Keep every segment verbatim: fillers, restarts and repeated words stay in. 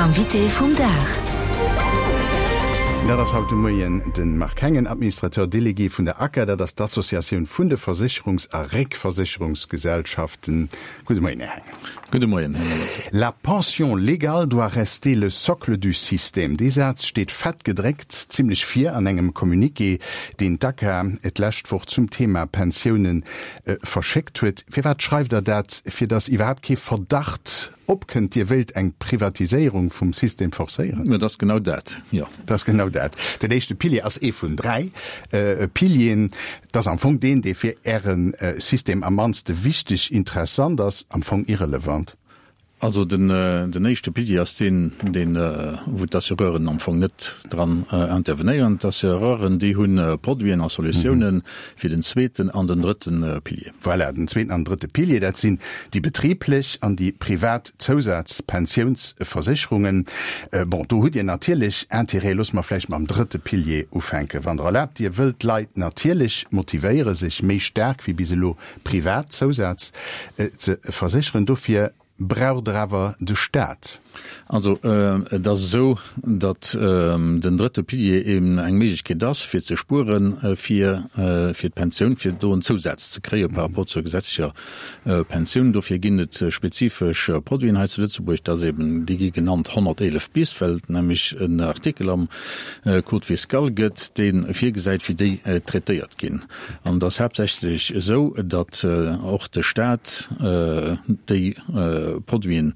Invité vum Dag. Dat ass haut de Moien de Marc Hengen, Administrateur délégué vun der ACCA, dat ass d'Associatioun vun de Versécherungs a Réckversécherungsgesellschaften. Gudde Moien, Här Hengen. Gudde Moien, Här Molitor. La pension légale doit rester le socle du système. Dee Saz steet fett gedréckt zimlech vir an engem Communiqué, deen d'ACCA d'lescht Woch zum Thema Pensiounen verschéckt huet. Firwat schreift Der dat? Fir datt iwwerhaapt kee Verdacht opkënnt, Dir wéilt eng Privatiséierung vum System forcéieren? Dat ass genau dat, jo. Dat ass genau dat. Den éischte Pilier ass ee vun dräi Pilieren. Dat ass am Fong deen, dee fir Äre System am mannste wichteg, interessant ass, am Fong irrelevant. Also den, den éischte Pilier ass deen, deen, wou d'Assureuren am Fong net dran intervenéieren. D'Assureuren, déi hu Produiten a Solutiounen fir den zweeten an den drëtte Pilier. Voilà, den zweeten an drëtte Pilier, dat sinn déi betriblech an déi privat Zousazpensiounsversécherungen. Bon, do hutt Dir natierlech Intérêt. Loosse mer vläicht mam drëtte Pilier ufänken, wann Der erlaabt. Dir wëllt d'Leit natierlech motivéieren, sech méi staark wéi bis elo privat Zousaz ze versécheren. Dofir braucht Der awer de Staat. Also et ass esou, datt den drëtte Pilier eben eng Méiglechkeet ass, fir ze spueren fir fir d'Pensioun, fir do en Zousaz ze kréie par rapport zur gesetzlecher Pensioun. Dofir ginn et spezifesch Produiten hei zu Lëtzebuerg, dat ass eben, déi gi genannt honnerteelef bis, well et nämlech en Artikel am Code fiscal gëtt, dee virgesäit, wéi déi traitéiert ginn. An et ass haaptsächlech esou, datt och de Staat déi Produiten,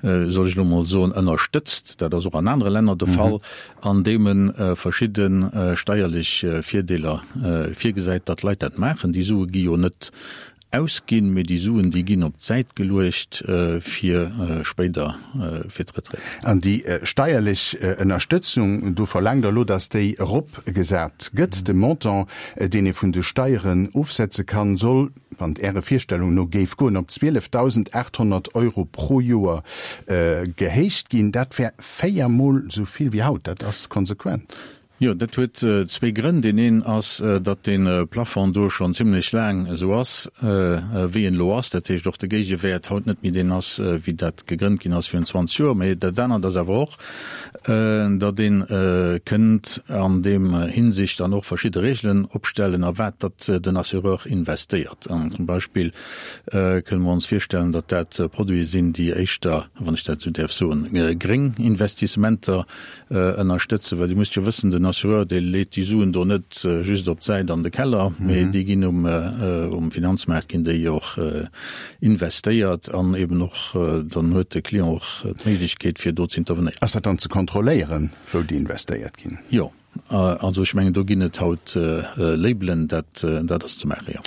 soll ech elo mol soen, ënnerstëtzt, dat ass och an anere Länner de Fall, andeem e verschidde steierlech Virdeeler virgesäit, datt d'Leit dat maachen. Déi Sue gi jo net ausginn, mee déi Suen, déi ginn op d'Säit geluecht fir spéider fir d'Retraite. An déi steierlech Ënnerstëtzung, do verlaangt Der elo, datt déi eropgesat gëtt. De Montant, deen ee vun de Steieren ofsetze kann, soll, wann et Äre Virstellung no géif goen, op zwielefdausendachthonnert Euro pro Joer gehéicht ginn. Dat wär véier Mol esou vill wéi haut. Dat ass konsequent. Jo, dat huet zwee Grënn. Deen een ass, datt dee Plafond do schonn zimlech laang esou ass, wéi en elo ass. Dat heescht, och de Géigewäert haut net méi deen ass, wéi dat gegrënnt ginn ass virun zwanzeg Joer. Mee dat anert ass awer och, datt ee kënnt an deem Hinsicht dann och verschidde Regelen opstellen, a wat datt den Assureur investéiert. An zum Beispill kënne mer ons virstellen, datt dat Produite sinn, déi éischter, wann ech dat esou däerf soen, gréng Investissementer ënnerstëtzen, well Dir musst jo wëssen, den Assureur, dee leet déi Suen do net just op d'Säit an de Keller, mee déi ginn um um Finanzmaart ginn déi och investéiert an eben och dann huet de Client och d'Méiglechkeet fir do ze intervenéieren. Ass dat dann ze kontrolléieren, wou déi investéiert ginn? Jo. Also ech mengen, do ginn et haut Labelen, dat dat ass ze maachen, jo.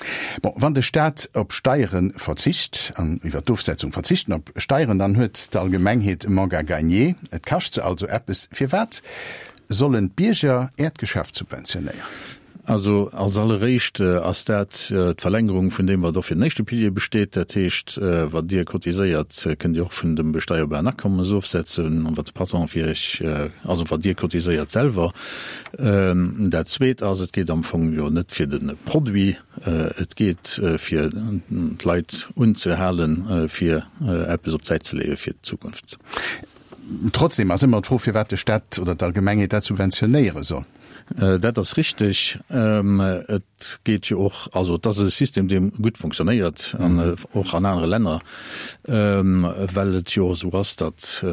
Bon, wann de Staat op Steiere verzicht, an iwwer d'Ofsetzung verzichten op Steieren, dann huet d'Allgemengheet e Manque à gagner. Et kascht se also eppes. Firwat sollen d'Bierger Äert Geschäft subventionéieren? Also als alleréischt ass dat d'Verlängerung vun deem, wat och fir den éischte Pilier besteet. Dat heescht, wat Dir cotiséiert, kënnt Dir och vun dem besteierbaren Akommes ofsetzen, an wat de Patron fir Iech, also wat Dir cotiséiert selwer. Dat Zweet ass, et geet am Fong jo net fir de Produit, et geet fir d'Leit unzehalen, fir eppes op d'Säit ze leeë fir d'Zukunft. Trotzdem ass ëmmer d'Fro, firwat de Staat oder d'Allgemengheet dat subventionéiere soll. Dat ass richteg. Et geet jo och, also et ass e System, dee gutt fonctionnéiert an och an anere Länner, well et jo och esou ass, datt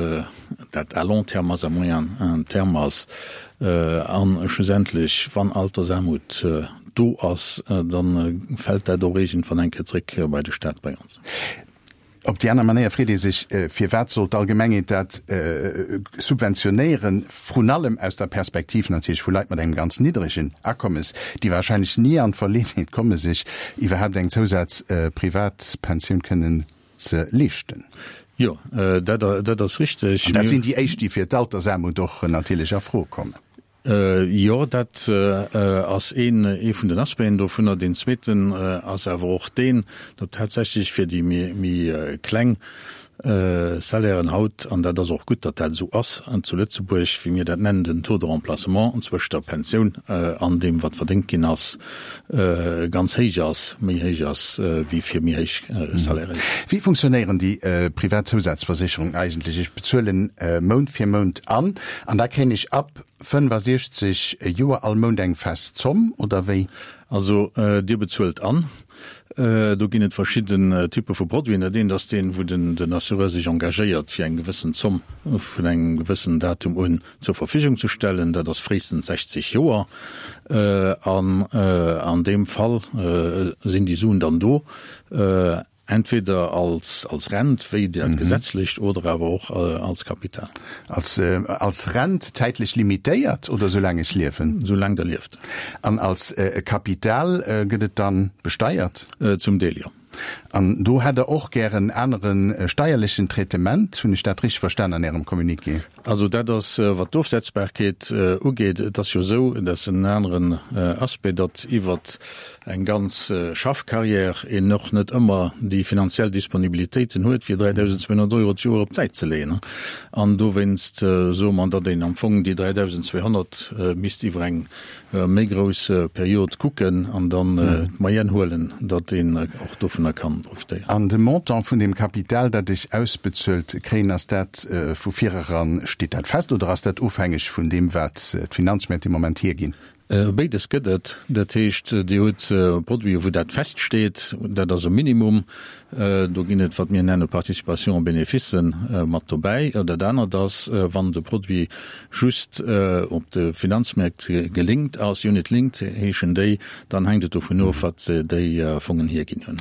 dat à long terme ass, à moyen terme ass. A schlussendlech, wann Altersaarmut do ass, da fält dat och iergendwann eng Kéier zréck bei de Staat, bei ons. Op déi aner Manéier freet ee sech, Firwat soll d'Allgemengheet dat subventionéieren, vrun allem aus der Perspektiv natierlech vu Leit mat engem ganz niddregen Akommes, déi wahrscheinlech ni an d'Verleeënheet komme sech iwwerhaapt eng Zousaz-Privatpensioun kënnen ze leeschten? Jo, dat ass richteg. An dat sinn déi éischt, déi fir d'Altersaarmut och natierlech a Fro kommen. Jo, dat ass een ee vun den Aspecten dovunner. Deen zweeten ass awer och deen, datt tatsächlech fir déi méi kleng Salairen haut, an dat ass och gutt, datt dat esou ass zu Lëtzebuerg, wéi mir dat nennen, den Taux de remplacement zwëscht der Pensioun an deem, wat verdéngt ginn ass, ganz héich ass, méi héich ass wéi fir méi héich Salairen. Wéi funktionéieren déi privat Zousazversécherungen eigentlech? Ech bezuelen Mount fir Mount an, an da kréien ech ab fënnfasiechzeg Joer all Mount eng fest Zomm, oder wéi? Also Dir bezuelt an. Do ginn et verschidden Typpe vu Produiten. Dat eent ass deen, wou den Assureur sech engagéiert, fir eng gewëssen Zomm vun engem gewëssenen Datum un zur Verfügung ze stellen. Dat ass fréistens sechzeg Joer. An an deem Fall sinn déi Suen dann do. Entweder als als Rent, wéi dat gesetzlecht, oder awer och als Kapital. Als als Rent zäitlech limitéiert oder soulaang ech liewen? Soulaang Der lieft. An als Kapital gëtt et dann besteiert? Zum Deel, jo. An do hätt Der och gär en anere steierlechen Traitement, hunn ech dat richteg verstan an Ärem Communiqué? Also dat ass, wat d'Ofsetzbarkeet ugeet, et ass jo esou, dat ass en aneren Aspect, datt iwwert eng ganz Schaffcarrière een och net ëmmer déi finanziell Disponibilitéiten huet, fir dräidausendzweehonnert Euro d'Joer op d'Säit ze leeën. An dowéinst soe mer, datt een am Fong déi dräidausendzweehonnert misst iwwer eng méi grouss Period kucken an dann d'Moyenne huelen, datt een och dovunner kann profitéieren. An de Montant vun deem Kapital, dat ech ausbezuelt kréien, ass dat vu vireran, steet dat fest oder ass dat ofhängeg vun deem, wat d'Finanzmäert de Moment hierginn? Béides gëtt et. Dat heescht, Dir hutt Produiten, wou dat feststeet, dat ass e Minimum. Do ginn et, wat mir nenne Participation aux bénéfices mat dobäi. Dat anert ass, wann de Produit just op de Finanzmäert gelinkt ass, unit-linked heeschen déi, dann hänkt et dovun of, wat déi Fongen hierginn hunn.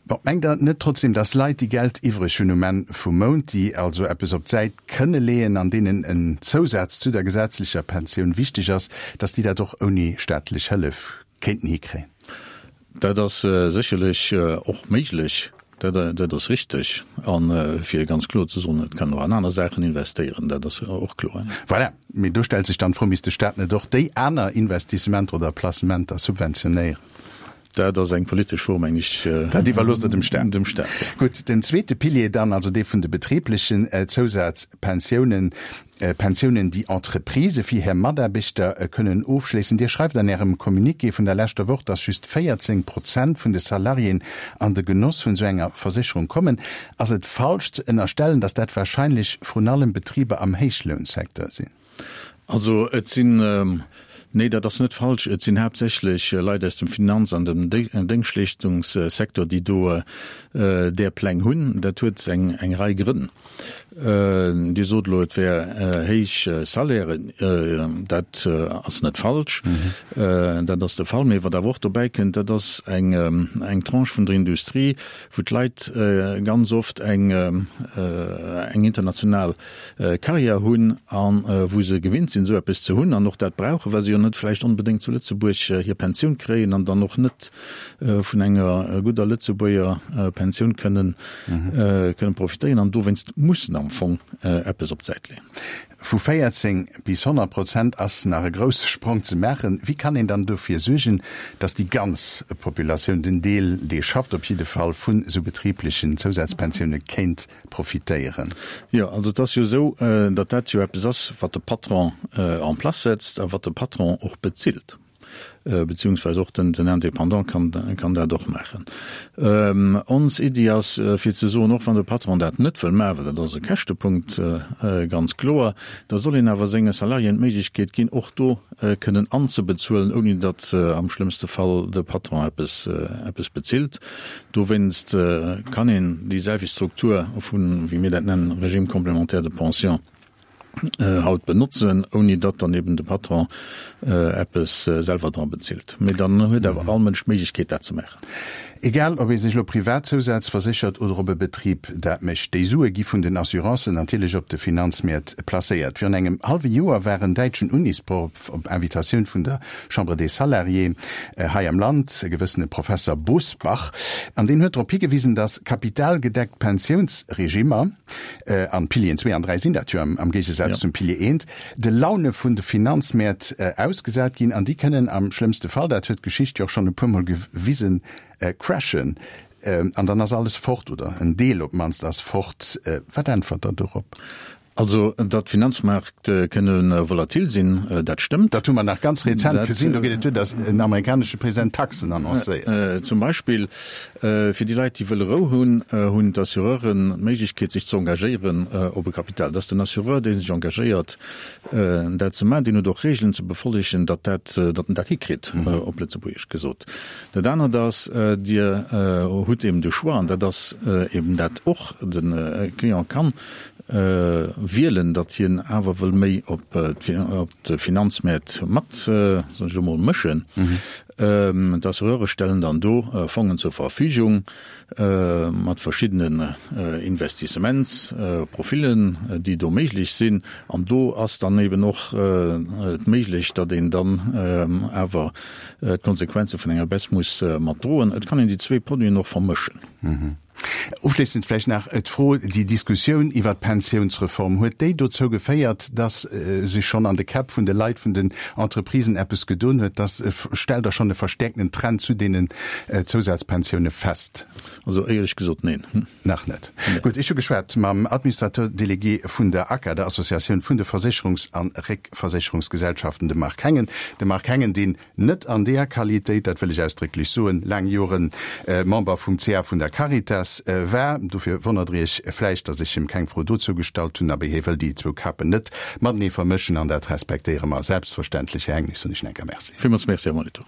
Bon, mengt Der net trotzdem, dass Leit, déi Geld iwwreg hunn um Enn vum Mount, déi also eppes op d'Säit kënne leeën an deenen en Zousaz zu der gesetzlecher Pensioun wichteg ass, dass déi dat och ouni staatlech Hëllef kéinten hikréien? Dat ass sécherlech och méiglech, dat ass richteg. A fir ganz kloer ze soen, et kann och an aner Saachen investéieren, dat ass och kloer. Voilà, mee do stellt sech dann d'Fro, Misst de Staat net och déi aner Investissementer oder Placementer subventionéieren? Dat ass eng politesch Fro, meng ech. Dat iwwerloosst Der dem Staat. Dem Staat, jo. Gutt, den zweete Pilier dann, also dee vun de betriblechen Zousazpensiounen, Pensiounen, déi Entreprisë fir hir Mataarbechter kënnen ofschléissen. Dir schreift an Ärem Communiqué vun der leschter Woch, dass just véierzéng Prozent vun de Salariéen an de Genoss vun esou enger Versécherung kommen. Ass et falsch ze ënnerstellen, dass dat wahrscheinlech vrun allem Betriber am Héichlounsecteur sinn? Also et sinn, nee, dat ass net falsch, et sinn haaptsächlech Leit aus dem Finanz an dem Déngschtleeschtungssecteur, déi do där Pläng hunn. Dat huet eng Rei Grënn. Dir sot elo, et wär héich Salairen. Dat ass net falsch, dat ass de Fall. Mee wat awer och dobäi kënnt, dat ass eng Tranche vun der Industrie, wou d'Leit ganz oft eng international Carrière hunn a wou se gewinnt sinn, esou eppes ze hunn an och dat brauchen, well se jo net vläicht onbedéngt zu Lëtzebuerg hir Pensioun kréien an dann och net vun enger gudder Lëtzebuerger Pensioun kënnen kënnen profitéieren an dowéinst mussen am Fong eppes op d'Säit leeën. Vu véierzéng bis honnert Prozent ass nach e grousse Sprong ze maachen. Wéi kann een dann dofir suergen, datt déi ganz Populatioun, den Deel, dee schafft op jidde Fall, vun esou betriblechen Zousazpensioune kéint profitéieren? Jo, also et ass jo esou, datt dat jo eppes ass, wat de Patron en place setzt a wat de Patron och bezilt, beziehungsweise och den Indépendant kann dat och maachen. Ons Iddi ass, fir ze soen, och wann de Patron dat net wëll maachen, well dat ass e Käschtepunkt, ganz kloer, da soll een awer senge Salariéen d'Méiglechkeet ginn, och do kënnen anzebezuelen, ouni datt am schlëmmste Fall de Patron eppes eppes bezilt. Dowéinst kann een déi selwecht Struktur vun, wéi mir dat nennen, Régime complémentaire de pension haut benotzen, ouni datt dann eben de Patron eppes selwer dra bezilt. Mee dann huet awer all Mënsch d'Méiglechkeet, dat ze maachen. Egal, ob ee sech elo privat Zousaz verséchert oder ob e Betrib dat mécht, déi Sue gi vun den Assurancen natierlech op de Finanzmäert placéiert. Virun engem hallwe Joer war en däitschen Unisproff op Invitatioun vun der Chambre des Salariés hei am Land, e gewëssene Professer Bosbach, an deen huet drop higewisen, datt kapitalgedeckt Pensiounsregimmer, an d'Pilieren zwee an dräi sinn dat jo am Géigesaz zum Pilier eent, de Laune vun de Finanzmäert ausgesat ginn an déi kënnen am schlëmmste Fall, dat huet d'Geschicht jo och schonn e puermol gewisen, crashen. an dann ass alles fort oder en Deel op d'mannst ass fort. Wat äntwert Der dorop? Also, datt d'Finanzmaart kënne volatil sinn, dat stëmmt. Dat hu mer nach ganz rezent gesinn, do geet et duer, datt en amerikanesche President Taxen annoncéiert. Zum Beispill fir déi Leit, déi wëlle Rou hunn, hunn d'Assureuren d'Méiglechkeet, sech ze engagéieren op e Kapital. Et ass den Assureur, dee sech engagéiert, dat ze maachen. Deen huet och Regeln ze befollegen, datt dat, datt en dat hikritt, op Lëtzebuergesch gesot. Dat anert ass, Dir hutt eben de Choix, an dat ass eben dat och de Client kann wielen, datt hien awer wëll méi op de Finanzmäert mat, soen ech elo mol, mëschen. D'Assureure stellen dann do Fongen zur Verfügung mat verschiddenen Investissementsprofilen, déi do méiglech sinn. An do ass dann eben och et méiglech, datt een dann awer d'Konsequenze vun enger Baisse muss mat droen. Et kann een déi zwee Produiten och vermëschen. Ofschléissend vläicht nach d'Fro, Déi Diskussioun iwwert d'Pensiounsreform, huet déi dozou geféiert, dass sech schonn an de Käpp vun de Leit, vun den Entreprisen eppes gedoen huet? Dass, stellt Der schonn e verstäerkten Trend zu deenen Zousazpensioune fest? Also éierlech gesot, neen. Nach net. Gutt, ech hu geschwat mam Administrateur délégué vun der ACA, der Associatioun vun de Versécherungs a Réckversécherungsgesellschaften, dem Marc Hengen. De Marc Hengen, deen net an deeër Qualitéit, dat wëll ech ausdrécklech soen, laang Joren Member vum C A vun der Caritas war. Dofir wonnert Der Iech vläicht, datt ech him keng Fro dozou gestallt hunn. Abee, hie wëll déi zwou Kapen net matenee vermëschen an dat respektéiere mer selbstverständlech. Här Hengen, ech soen Iech nach eng Kéier Merci. Villmools Merci, Här Molitor.